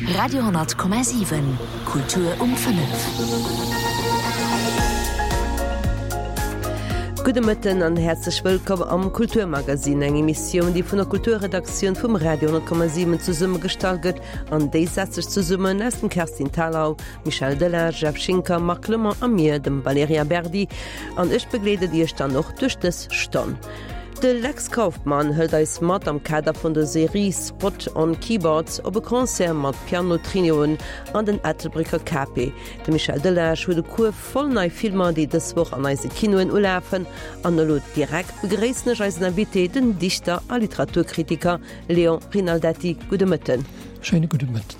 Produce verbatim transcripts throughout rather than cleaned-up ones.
Radio honnert Komma siwen, Kultur um fënnef. Gudde Mëtten an häerzlech wëllkomm am Kulturmagazin, eng Emissioun, déi vun der Kulturredaktioun vum Radio honnert Komma siwen zesummegestallt gëtt an déi setzt sech zesummen aus dem Kerstin Thalau, Michel Delage, Jeff Schinker, Marc Clement a mir, dem Valerija Berdi. An ech begleeden Iech dann och duerch dës Stonn. De Lex Kauffmann hëlt eis mat am Kader vun der Serie Spot on Keyboards op e Concert mat Piano-Trioen an den Ettelbrécker Cape. De Michel Delage huet e Kuerf voll nei Filmer, déi dës Woch an eise Kinoen ulafen. An elo direkt begréissen ech eisen Invité, den Dichter a Literaturkritiker Léon Rinaldetti. Gudde Mëtten. Schéine gudde Mëtten.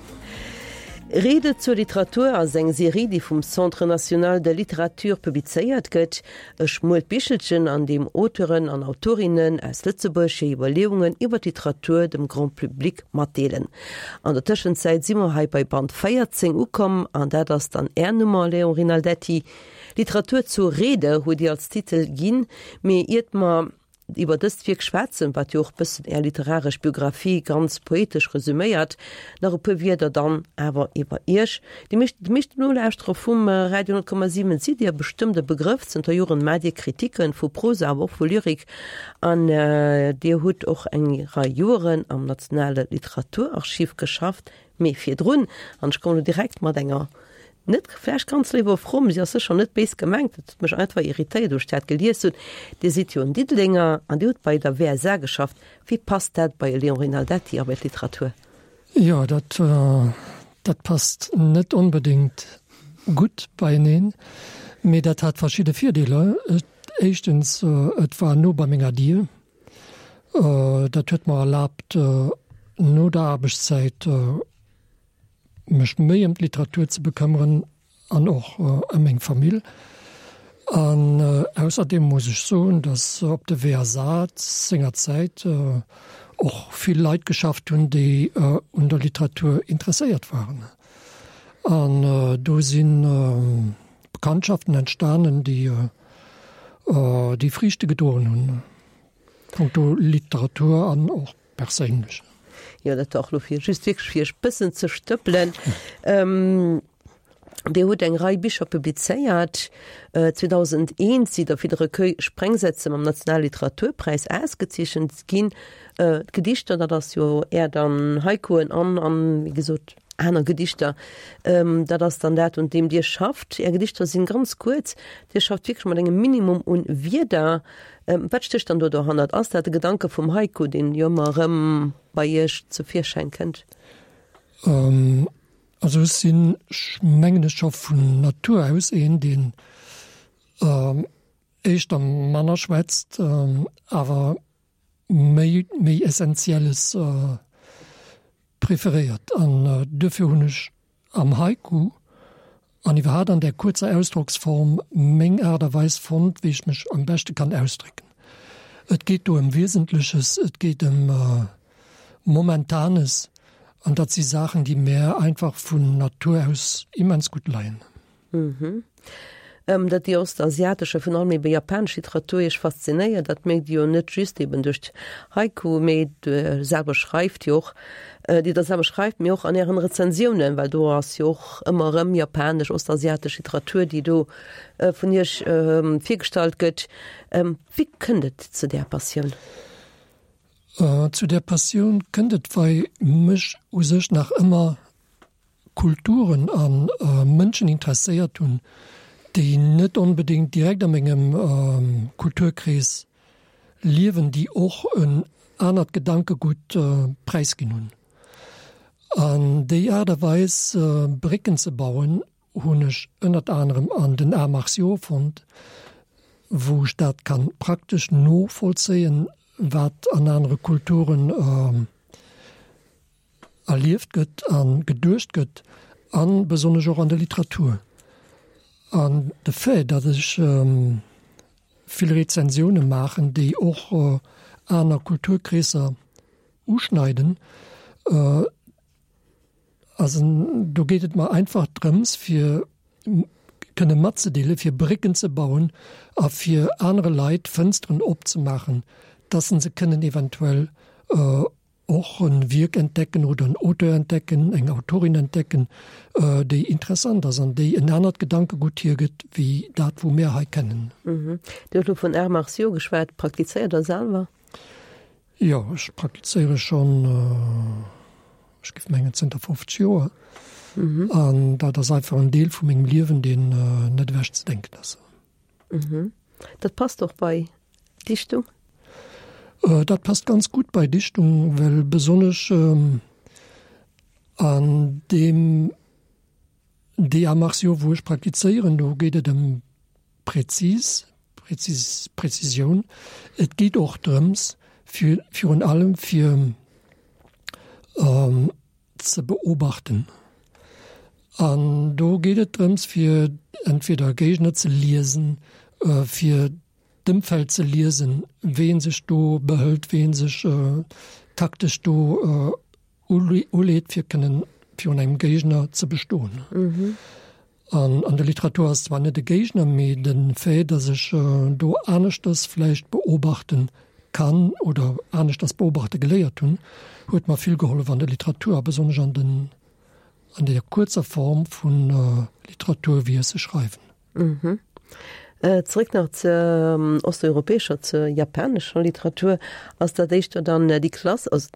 Rede zur Literatur ass eng Serie, déi vum Centre national de littérature publizéiert gëtt. E schmuelt Bichelchen, an deem Auteuren an Autorinnen aus Lëtzebuerg hir Iwwerleeungen iwwer d'Literatur dem Grand Public matdeelen. An der Tëschenzäit si mer hei bei Band véierzéng ukomm, an dat ass dann Är Nummer, Léon Rinaldetti. Literatur zur Rede hutt Dir als Titel ginn, mee iert mer iwwer dëst Wierk schwätzen, wat jo och bëssen Är literaresch Biographie ganz poetesch resüméiert, nach e puer Wierder dann awer iwwer Iech. Déi meescht, de meeschten Nolauschterer vum Radio honnert Komma siwen sidd Dir bestëmmt e Begrëff. Zënter Joren maacht Dir Kritiken vu Prosa, awer och vu Lyrik an Dir hutt och eng Rei Joeren am Nationale Literaturarchiv geschafft. Mee virdrun, an ech kommen elo direkt mat enger net vläicht ganz léiwer Fro, mee si ass sécher net béis gemengt, et huet mech einfach irritéiert, wou ech dat gelies hunn, Dir sidd jo en Diddelenger an Dir hutt bei der W S A geschafft. Wéi passt dat bei e Léon Rinaldetti a bei d'Literatur? Jo, dat, dat passt net onbedéngt gutt beieneen, mee dat hat verschidde Virdeeler. Éischtens, et war no bei menger Dier. Dat huet mer erlaabt, no der Aarbechtszäit mech méi ëm d'Literatur ze bekëmmeren an och ëm meng Famill. An ausserdeem muss ech soen, datt op de W S A sengerzäit och vill Leit geschafft hunn, déi un der Literatur interesséiert waren. An do si Bekanntschaften entstanen, déi déi Friichte gedroen hunn, punkto Literatur an och perséinlech. Jo, dat war och lo fir just wierklech fir iech bëssen ze stëppelen. Dir hutt eng Rei Bicher publizéiert. zweedausendeent sidd Der fir de Recueil Sprengsätze mam Nationale Literaturpräis ausgezeechent ginn. D'Gedichter, dat ass jo Är dann Haikuen an, an, wéi gesot, aner Gedichter, dat ass dann dat, un deem Dir schafft. Är Gedichter sinn ganz kuerz. Dir schafft wierklech mat engem Minimum un Wierder. Wat stécht dann do dohannert? Ass dat de Gedanke vum Haiku, deen jo ëmmer erëm bei Iech zu Virschäin kënnt? Also ech sinn, mengen ech, scho vun Natur aus een, deen éischter manner schwätzt, awer méi, méi Essentielles preferéiert. An duerfir hunn ech am Haiku an iwwerhaapt an där kuerzer Ausdrocksform meng Aart a Weis fonnt, wéi ech mech am beschte kann ausdrécken. Et geet do ëm Wiesentleches, et geet ëm Momentanes, an dat si Saachen, déi mär einfach vun Natur aus immens gutt leien. Datt déi ostasiatesch a virun allem ebe japanesch Literatur Iech faszinéiert, dat mierkt Dir jo net just eben duerch d'Haiku, mee Dir selwer schreift jo och, déi Der selwer schreift, mee och an Ären Rezensiounen, well do ass jo och ëmmer erëm japanesch, ostasiatesch Literatur, déi do vun Iech virgestallt gëtt. Wéi kënnt et zu där Passioun? Zu där Passioun kënnt et, well mech u sech nach ëmmer Kulturen a Mënschen interesséiert hunn, déi net onbedéngt direkt a mengem Kulturkrees liewen, déi och en anert Gedankegutt präisginn hunn. An déi Aart a Weis, Brécken ze bauen, hunn ech ënnert anerem an den Arts martiaux fonnt, wou ech dat ka praktesch novollzéien, wat an anere Kulturen erlieft gëtt a geduecht gëtt, a besonnesch och an der Literatur. An de Fait, datt ech vill Rezensioune maachen, déi och aner Kulturkreesser uschneiden, also do geet et mer einfach drëms, fir kënne matzedeelen, fir Brécken ze bauen a fir anere Leit Fënsteren opzemaachen, datt se kënnen eventuell och en Wierk entdecken oder en Auteur entdecken, eng Autorin entdecken, déi interessant ass an déi en anert Gedankegutt hiergëtt wéi dat, wou mär hei kennen. Dir hutt elo vun Arts martiaux geschwat. Praktizéiert Der selwer? Jo, ech praktizéiere schonn, ech géif mengen, zënter fofzeg Joer. An dat ass einfach en Deel vu mengem Liewen, deen net ewech ze denken ass. Dat passt och bei Dichtung? Dat passt ganz gutt bei Dichtung, well besonnesch an deem déi Arts martiaux, wou ech praktizéieren, do geet et ëm präzis, präzis, Präzisioun. Et geet och drëms, fir virun allem fir ze beobachten. An do geet et drëms, fir entweder Géigner ze liesen, fir d'Ëmfeld ze liesen, wéi ee sech do behëlt, wéi ee sech taktesch do uleet, fir kënnen virun engem Géigner ze bestoen. An an der Literatur ass zwar net e Géigner, mee de Fait, datt ech do aneschters vläicht beobachten kann oder aneschters beobachte geléiert hunn, huet mer vill gehollef an der Literatur a besonnesch an den an der kuerzer Form vu Literatur, wéi ech se schreiwen. Zeréck nach zur osteuropäescher, zur japanescher Literatur. Ass dat éischter dann déi Klass, also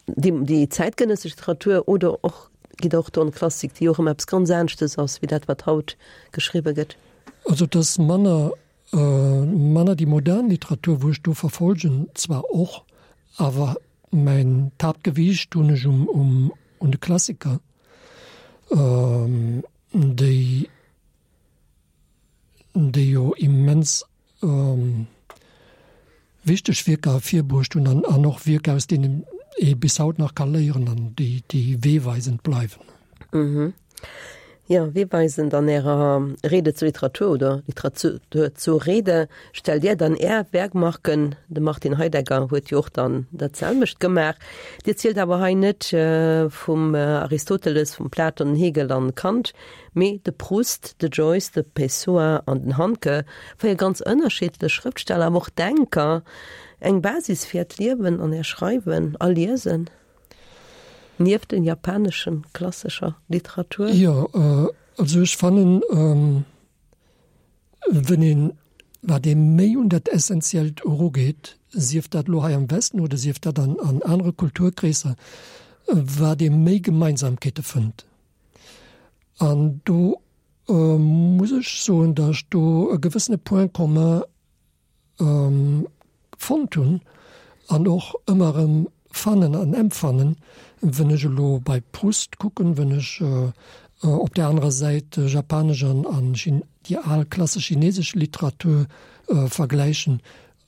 déi, déi zäitgenëssesch Literatur oder och, geet och do an d'Klassik, déi och ëmmer eppes ganz aneschtes ass wéi dat, wat haut geschriwwe gëtt? Also et ass manner, manner déi modern Literatur, wou ech do verfolgen, zwar och, awer mäin d'Haaptgewiicht hunn ech um, um, un de Klassiker, déi, déi jo immens wichteg Wierker ervirbruecht hunn an, an och Wierker, aus deenen ee bis haut nach ka léieren an déi, déi weeweisend bleiwen. Mhm. Jo, weeweisend an Ärer Rede zur Literatur oder Literatur zur Rede stellt Dir dann Är Werkmarken. De Martin Heidegger huet jo och dann dat selwecht gemaach. Dir zielt awer hei net vum Aristoteles, vum Platon, Hegel an Kant, mee de Proust, de Joyce, de Pessoa an den Handke, véier ganz ënnerschiddlech Schrëftsteller, awer och Denker, eng Basis fir Äert Liewen an Är Schreiwen a Liesen, nieft den japaneschen klassescher Literatur? Jo, also ech fannen, wenn een, wat ee méi un dat Essentiellt erugeet, sief dat elo hei am Westen oder sief dat an an anere Kulturkreesser, wat ee méi Gemeinsamkeete fënnt. An do muss ech soen, datt ech do e gewëssene Point commun fonnt hunn an och ëmmer erëm fannen an empfannen, wënn ech elo bei Proust kucken, wënn ech op där anerer Säit japanesch an an déi al klassesch chinesesch Literatur vergläichen.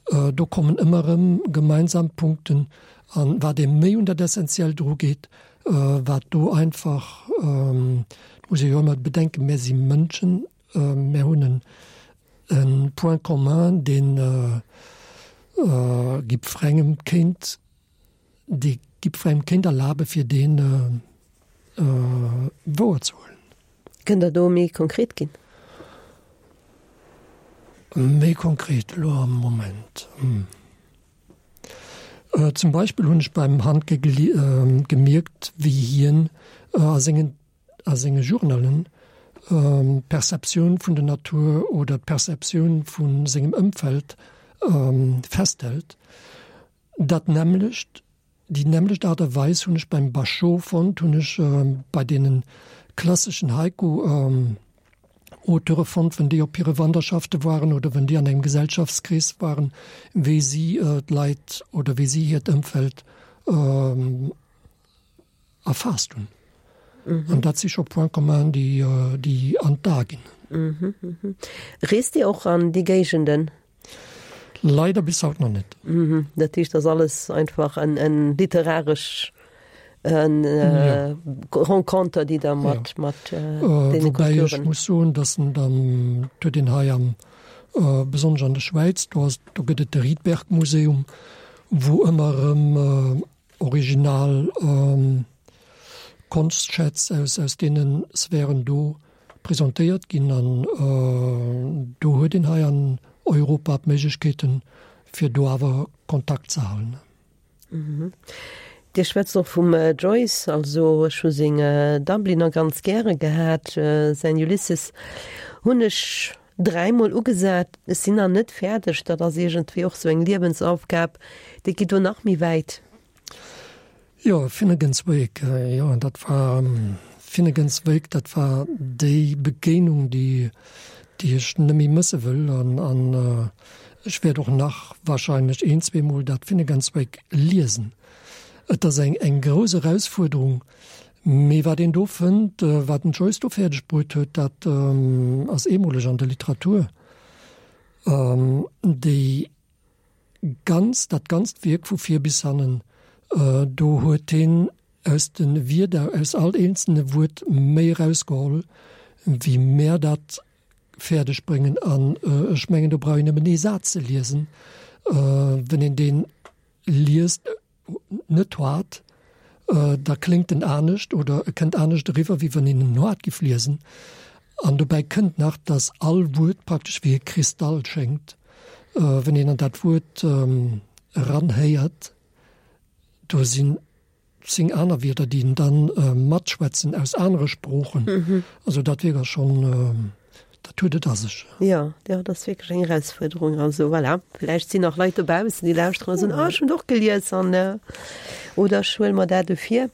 Do kommen ëmmer erëm gemeinsam Punkten an wat ee méi un dat Essentiellt erugeet, wat do einfach, et muss ee jo ëmmer bedenken, mär si Mënschen, mär hunn en e Point commun, deen jiddwerengem kéint, dee jiddwerengem kéint erlabe fir deen wouerzehuelen. Kënnt Der do méi konkret ginn? Méi konkret elo am Moment? Zum Beispill hunn ech beim Handke gemierkt, wéi hien a sengen a senge Journalen d'Perceptioun vun der Natur oder d'Perceptioun vu sengem Ëmfeld festhält. Dat nämmlecht, déi nämmlecht Aart a Weis hunn ech beim Bashô fonnt, hunn ech bei deene klasseschen Haiku-Auteure fonnt, wenn déi op hire Wanderschafte waren oder wenn déi an engem Gesellschaftskrees waren, wéi si d'Leit oder wéi si hiert Ëmfeld erfaasst hunn. An dat si scho Points communs, déi, déi an d'A ginn. Reest Dir och an déi Géigenden? Leider bis haut nach net. Dat heescht, ass alles einfach en, en literaresch Renconter, déi Der mat, mat deene Kulturen. Woubäi ech muss soen, datt en dann, et huet een hei am, besonnesch an der Schwäiz, do ass, do gëtt et de Rietberg-Museum, wou ëmmer erëm original Konschtschätz aus aus deene Sphären do presentéiert ginn an do huet een hei an Europa d'Méiglechkeeten, fir do awer Kontakt ze halen. Dir schwätzt och vum Joyce, also ech hu seng Dubliner ganz gäre gehat, säin Ulysses hunn ech dräimol ugesat, ech sinn nach net fäerdeg, dat ass iergendwéi och sou eng Liewensaufgab, déi geet do nach méi wäit. Jo, Finnegans Wake, jo, dat war Finnegans Wake, dat war déi Begéinung, déi déi ech net méi mësse wëll an an ech wäert och nach wahrscheinlech een, zweemol dat Finnegans Wake liesen. Et ass eng eng grouss Erausfuerderung, mee wat een do fënnt, wat den Joyce do fäerdeg bruet huet, dat ass eemoleg an der Literatur. Déi ganz, dat ganzt Wierk vu vir bis hannen, do huet hien aus de Wierder, aus all eenzelne Wuert méi erausgeholl, wéi mär dat fäerdeg bréngen. An ech mengen, do brauch een nëmmen ee Saz ze liesen, wann een dee liest, net haart, da kléngt en anescht oder e kënnt anescht eriwwer, wéi wann een en haart giff liesen. An dobäi kënnt nach, dass all Wuert praktesch wéi e Kristall schéngt, wann een an dat Wuert eranhéiert. Do sinn zéng aner Wierder, déi en dann matschwätzen aus anere Sproochen. Also dat Wierk ass schonn, dat huet et a sech. Jo, jo, dat ass wierklech eng Erausfuerderung. Also voilà, vläicht sinn nach Leit dobaussen, déi lauschteren a soen, Ah, ech hunn et och gelies an oder ech huele mer dat dofir.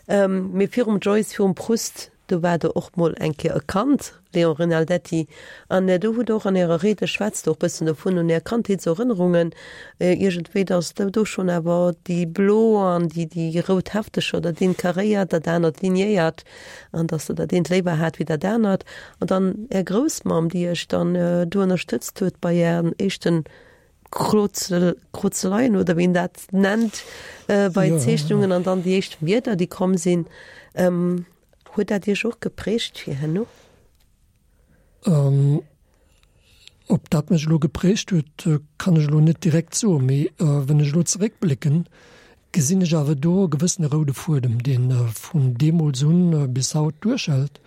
Mee virum Joyce, virum Proust, Do war Der och mol eng Kéier e Kand, Léon Rinaldetti, an do hutt Der och an Ärer Ried, Der schwätzt och bëssen dovun, un Är Kandheetserënnerungen iergendwéi, datt Der do schonn awer déi blo an déi, déi rout Heftecher, dat eent karéiert, dat anert liniéiert, an datt Der dat eent léiwer hat wéi dat anert. An dann Är Groussmamm, déi Iech dann do ënnerstëtzt huet bei Ären éischten Krozel, Krozeleien oder wéi een dat nennt, bei Zeechnungen an dann déi éischt Wierder, déi komm sinn. Huet dat Iech och geprägt fir herno? Ob dat mech elo geprägt huet, kann ech elo net direkt soen, mee wann ech elo zeréckblécken, gesinn ech awer do e gewëssene roude Fuedem, dee vun deemools un bis haut duerchhält.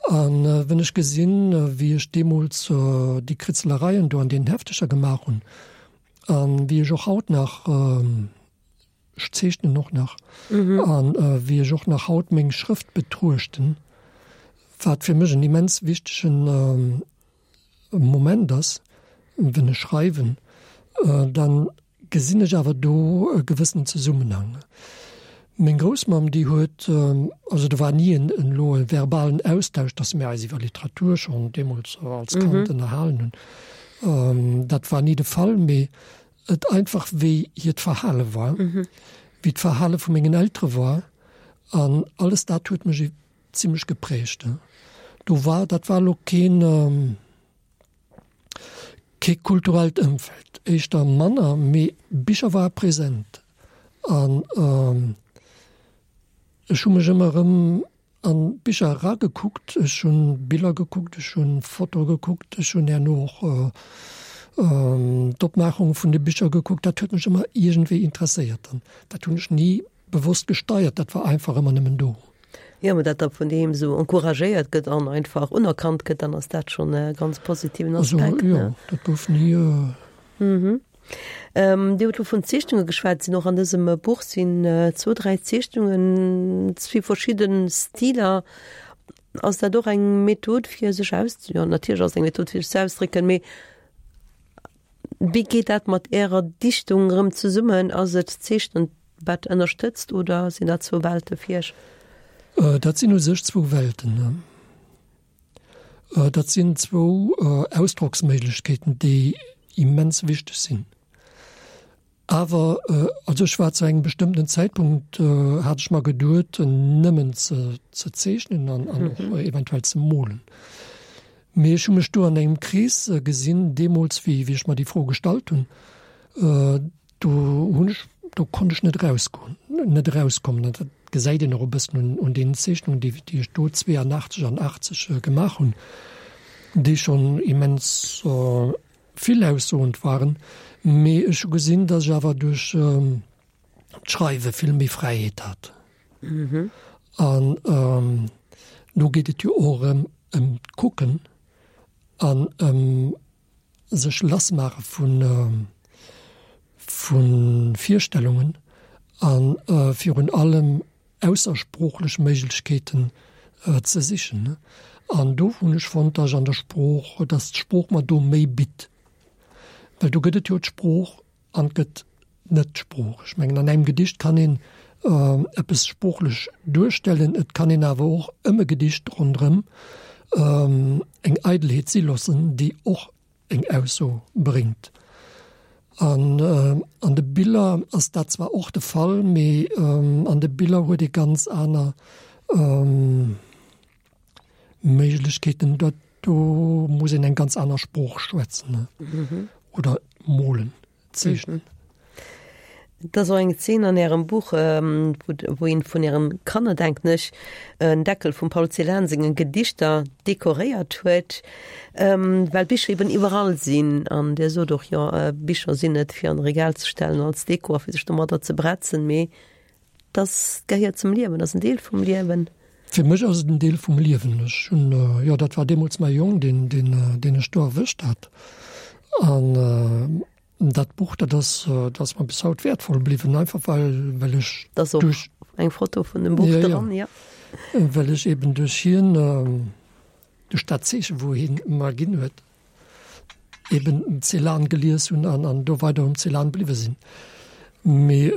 A wann ech gesinn, wéi ech deemools déi Kritzelereien do an deenen Heftecher gemaach hunn a wéi ech och haut nach, Ech zeechnen och nach. An wéi ech och nach haut meng Schrëft betruechten, wat fir mech en immens wichtegen Moment ass, wenn ech schreiwen, dann gesinn ech awer do e gewëssenen Zesummenhang. Meng Groussmamm, déi huet, also do war ni en elo e verbalen Austausch, datt mir eis iwwer Literatur schonn deemools als Kand ënnerhalen hunn, dat war ni de Fall, mee et einfach wéi hiert Verhale war, wéi d'Verhale vu mengen Eltere war an alles dat huet mech zimlech geprägt. Do war, dat war elo keen, kee kulturellt Ëmfeld, éischter manner, mee Bicher ware present an ech hu mech ëmmer erëm An d'Bicher eragekuckt, ech hunn Biller gekuckt, ech hunn Fotoe gekuckt, ech hunn herno och d'Opmaachung vun de Bicher gekuckt. Dat huet mech ëmmer iergendwéi interesséiert an dat hunn ech ni bewosst gesteiert, dat war einfach ëmmer nëmmen do. Jo, mä dat da vun deem esou encouragéiert gëtt an einfach unerkannt gëtt, dann ass dat schonn e ganz positiven Aspekt, ne? Also jo, dat gouf ni. Dir hutt elo vun Zeechnunge geschwat. Sinn och an dësem Buch sinn zwou, dräi Zeechnungen, zwee verschidde Stiler. Ass dat och eng Method fir sech aus, jo natierlech ass et eng Method fir sech ze ausdrécken, mee wéi geet dat mat Ärer Dichtung erëm zesummen? Ass et d'Zeechnen wat ënnerstëtzt oder sinn dat zwou Welte fir Iech? Dat sinn u sech zwou Welten. Dat sinn zwou Ausdrocksméiglechkeeten, déi immens wichteg sinn. Awer, also ech war zu engem bestëmmten Zäitpunkt, hat ech mer geduet, nëmmen ze ze zeechnen an an och eventuell ze molen. Mee ech hu mech do an engem Krees gesinn, deemools wéi wéi ech mer déi Fro gestallt hunn, Do hunn ech, do konnt ech net erausgoen, net erauskommen. An dat gesäit een och e bëssen un, un deenen Zeechnungen, déi, déi ech do zweeanachtzeg an achtzeg gemaach hunn, déi schonn immens vill aussoend waren. Mee ech hu gesinn, datt ech awer duerch d'Schreiwe vill méi Fräiheet hat. An do geet et jo och erëm ëm d'Kucken an ëm sech lassmaache vu vu Virstellungen a virun allem aussersproochlech Méiglechkeeten ze sichen. An do hunn ech fonnt, dass ech an der Sprooch, dass d'Sprooch mer do méi bitt. Well do gëtt et jo d'Sprooch an et gëtt net d'Sprooch. Ech mengen, an engem Gedicht kann een eppes sproochlech duerstellen, et kann een awer och ëm e Gedicht ronderëm eng Eidelheet si loossen, déi och eng Ausso bréngt. An an de Biller ass dat zwar och de Fall, mee an de Biller huet ee ganz aner Méiglechkeeten. Dat do muss een eng ganz aner Sprooch schwätzen oder molen, zeechnen. Et ass och eng Zeen an Ärem Buch, wou eent vun Ären Kanner, denken ech, en Deckel vum Paul Celan sengen Gedichter dekoréiert huet, well Bicher eben iwwerall sinn. An Dir sot och, jo, Bicher sinn net fir an e Regal ze stellen als Deko a fir sech domadder ze bretzen, mee dass gehéiert zum Liewen, ass en Deel vum Liewen. Fir mech ass et en Deel vum Liewen. Ech hunn, jo, dat war deemools mäi Jong, deen, deen, deen ech do erwëscht hat. An dat Buch, dat ass, dat ass mer bis haut wäertvoll bliwwen, einfach well, well ech Da ass och duerch, eng Foto vun dem Buch ja, ja, dran, ja. well ech eben duerch hien, duerch dat Zeechen, wou hien mer ginn huet, eben Celan gelies hunn an, an do weider um Celan bliwwe sinn. Mee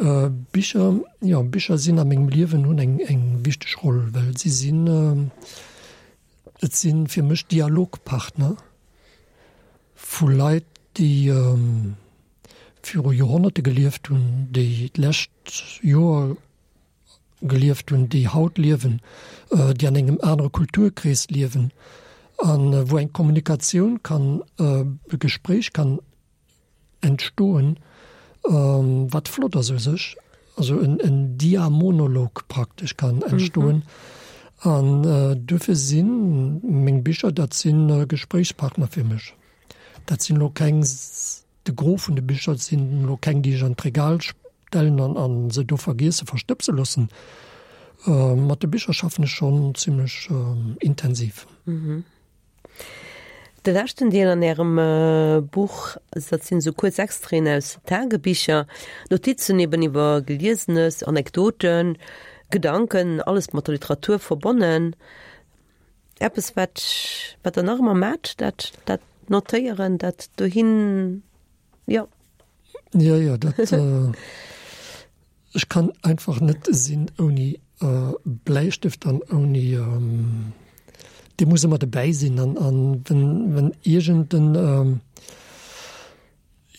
Bicher, jo, Bicher sinn a mengem Liewen, hunn eng, eng wichteg Roll, well si sinn, et si fir mech Dialogpartner vu Leit, déi viru Joerhonnerte gelieft hunn, déi d'lescht Joer gelieft hunn, déi haut liewen, déi an engem anere Kulturkrees liewen a wou eng Kommunikatioun kann, e Gespréich kann entstoen, wat flott ass u sech, also en Diamonolog praktesch kann entstoen. An duerfir si meng Bicher, dat si Gespréichspartner fir mech. Dat sinn elo keng, de Gros vun de Bicher sinn elo keng, déi ech an d'Regal stellen an a se do vergiesse, verstëbse loossen. Mat de Bicher schaffen ech schonn zimlech intensiv. De leschten Deel an Ärem Buch, dat sinn esou kuerz Extraiten aus Tagebicher, Notizen eben iwwer Geliesenes, Anekdoten, Gedanken, alles mat der Literatur verbonnen. Eppes, wat, wat Der nach ëmmer maacht, dat, dat Notéieren, dat dohin, jo. Jo, jo, dat, ech kann einfach net sinn ouni Bläistëft an ouni, dee muss ëmmer dobäi sinn an, an wenn, wenn iergend en,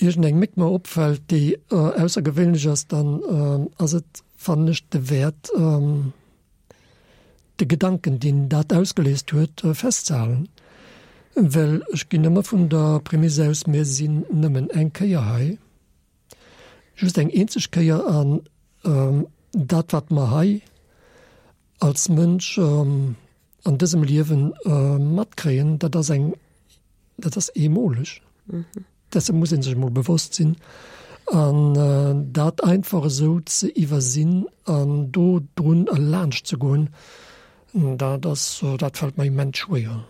iergend eng Méck mer opfält, déi aussergewéinlech ass, dann ass et, fannen ech, de Wäert, de Gedanken, deen dat ausgeléist huet, festzehalen. Well ech ginn ëmmer vun der Prämisse aus, mir sinn nëmmen eng Kéier hei, just eng eenzeg Kéier, an dat, wat mer hei als Mënsch an dësem Liewen matkréien, dat ass eng, dat ass eemoleg. Dessen muss ee sech emol bewosst sinn. An dat einfach esou ze iwwersinn an do drun erlaanscht ze goen, dat ass, dat fält mer immens schwéier.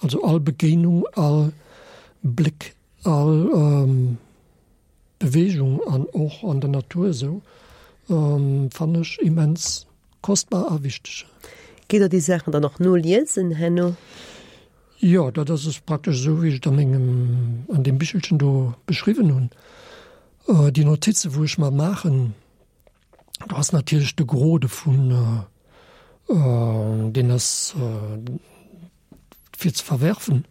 Also all Begéinung, all Bléck, all Beweegung an och an der Natur esou fannen ech immens kostbar a wichteg. Gitt Der déi Saachen dann och noliesen herno? Jo, dat ass es praktesch esou, wéi ech et a mengem, an deem Bichelchen do beschriwwen hunn. Déi Notize wou ech mer maachen, do ass natierlech de Gros dovun, deen ass fir ze verwerfen.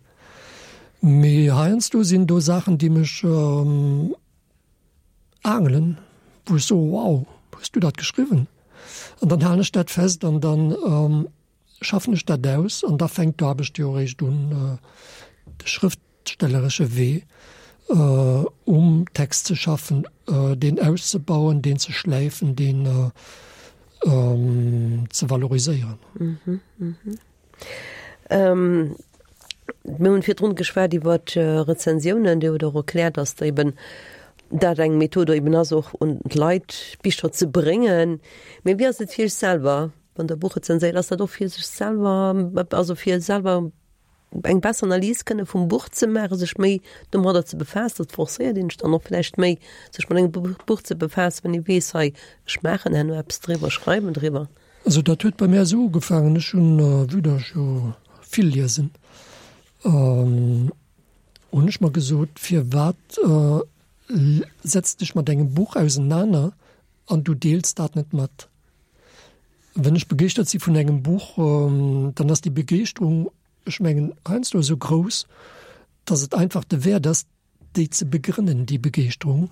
Mee heiansdo sinn do Saachen, déi mech aangelen, wou ech soe, wow, hues du dat geschriwwen? An dann halen ech dat fest an dann schaffen ech dat aus an da fänkt d'Aarbecht jo eréischt un, de schrëftstelleresche Wee um Text ze schaffen, deen auszebauen, deen ze schläifen, deen ze valoriséieren. Mir hunn virdrun geschwat iwwer Rezensiounen. Dir hutt och erkläert, datt der eben dat eng Method eben ass, och un d'Leit Bicher ze bréngen. Mee wéi ass et fir Iech selwer, wann Der e Buch rezenséiert? Ass dat och fir sech selwer, also fir selwer eng besser Analys kënne vum Buch ze maachen, sech méi domadder ze befaassen, dat forcéiert een dann och vläicht méi, sech mat engem Buch ze befaassen, wann ee weess, hei, ech maachen herno eppes driwwer, schreiwen driwwer. Also dat huet bei mär esou ugefaangen, ech hunn, vue datt ech jo vill liesen, hunn ech mer gesot, firwat setz dech mat engem Buch ausenaner an du deels dat net mat? Wenn ech begeeschtert si vun engem Buch, dann ass déi Begeeschterung, ech mengen, heiansdo esou grouss, dass et einfach de Wäert ass, déi ze begrënnen, déi Begeeschterung,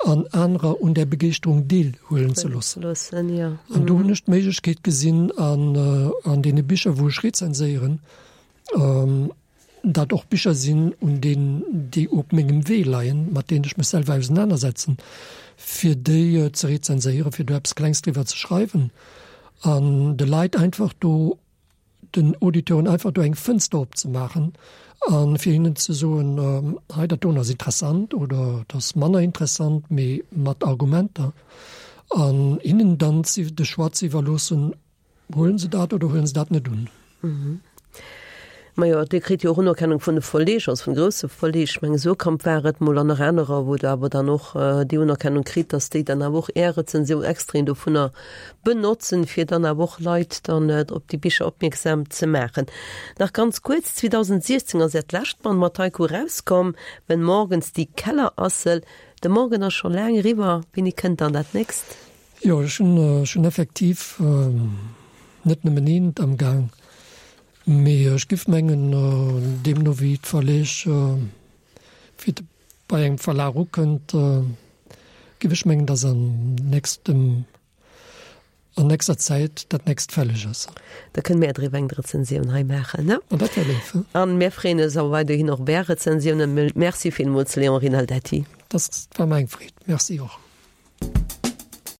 an anerer un där Begeeschterung deelhuelen ze loossen. An do hunn ech d'Méiglechkeet gesinn an an deene Bicher, wou ech rezenséieren, dat och Bicher sinn, un deenen, déi op mengem Wee leien, mat deenen ech mech selwer ausenanersetzen, fir déi ze rezenséieren, fir do eppes Klengs driwwer ze schreiwen an de Leit einfach do, den Auditeuren einfach do eng Fënster opzemaachen a fir hinnen ze soen, hei dat doen ass interessant oder dat ass manner interessant, mee mat Argumenter an hinnen dann de Choix ze iwwerloossen, huelen se dat oder huelen se dat net un. Majo, Dir kritt jo och Unerkennung vun de Verleeg, also vun grousse Verleeg. Ech mengen, Suhrkamp war et mol an nach anerer, wou Der awer dann och déi Unerkennung kritt, datt déi dann awer och Är Rezensioun, Extraiten dovunner benotzen, fir dann awer och Leit dann op déi Bicher opmierksam ze maachen. Nach ganz kuerz, zweedausentsiechzéng ass Äert lescht Band mat Haiku erauskomm, Wenn morgens die Kellerassel. De Morgen ass scho laang eriwwer. Wéini kënnt dann dat nächst? Jo, ech hunn effektiv net nëmmen eent am Gaang. Mee ech giff mengen, deemno wéi d'Verleeg, wéi et bei engem Verlag ukënnt, giff ech mengen, dass an nächstem, an nächster Zäit dat nächst fälleg ass. Da kënne mär driwwer eng Rezensioun hei maachen, ne? An dat wär léif, he? An mär freeën eis awer weiderhin och op Är Rezensiounen. Merci villmools, Léon Rinaldetti. Dat war mer eng Freed. Merci och.